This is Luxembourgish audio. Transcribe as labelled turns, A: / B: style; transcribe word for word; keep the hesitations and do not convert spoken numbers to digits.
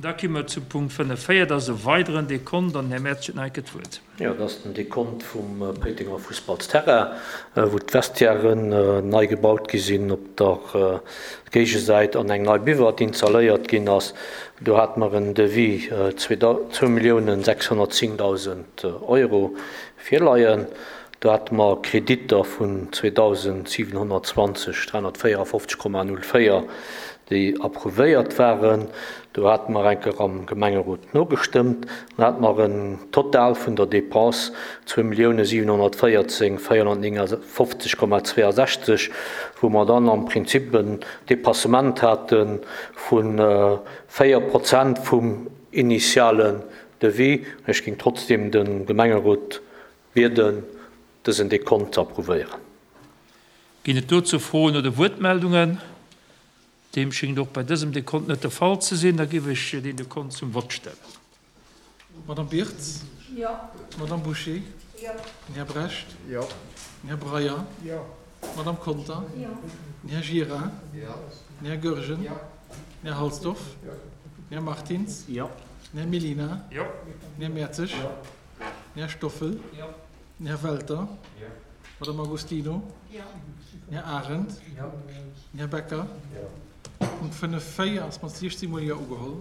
A: Da ki mer zum Punkt fënnef véier, dat ass e weideren Dekont an den Här Mertz huet nach eng Kéier d'Wuert.
B: Jo, dat ass den Dekont vum Péitenger Fussballsterrain, wou d'Vestiairen nei gebaut gi sinn op der Géigesäit an eng nei Buvette installéiert ginn ass. Do hate mer en Devis zwou Milliounen sechshonnertzéngdausend Euro virleien. Do hate mer Kreditter vun zweedausendsiwenhonnertzwanzeg dräihonnertvéierafofzeg Komma null véier, déi approuvéiert waren. Do hate mer eng Kéier am Gemengerot nogestëmmt. Dann hate mer en Total vun der Dépense zwou Millioune siwenhonnertvéierzéng véierhonnertnéngafofzeg Komma zweeasechzeg, wou mer dann am Prinzip en Dépassement hate vu véier Prozent vum initialen Devis. Ech géing trotzdem de Gemengerot bieden, dësen Dekont ze approuvéieren.
A: Ginn et dozou Froen oder Wuertmeldungen? Deem schéngt och bei dësem Dekont net de Fall ze sinn. Da géif ech deen Dekont zum Vott stellen.
C: Madame Birtz?
D: Jo.
C: Madame Bouché?
D: Jo.
C: Den Här Brecht?
E: Jo.
C: Den Här Breyer?
E: Jo.
C: D'Madame Conter?
D: Jo.
C: Den Här Gira?
E: Jo.
C: Den Här Goergen?
E: Jo.
C: Den Här Halsdorf?
E: Jo.
C: Den Här Martins?
B: Jo.
C: Den Här Mellina?
A: Jo.
C: Den Här Mertzig?
E: Jo.
C: Den Här Stoffel?
A: Jo.
C: Den Här Welter?
E: Jo.
C: Madame Agostino?
D: Jo.
C: Den Här Arendt?
E: Jo.
C: Den Här Becker?
E: Jo.
C: Punkt fënnef véier ass mat siechzéng Mol Jo ugeholl.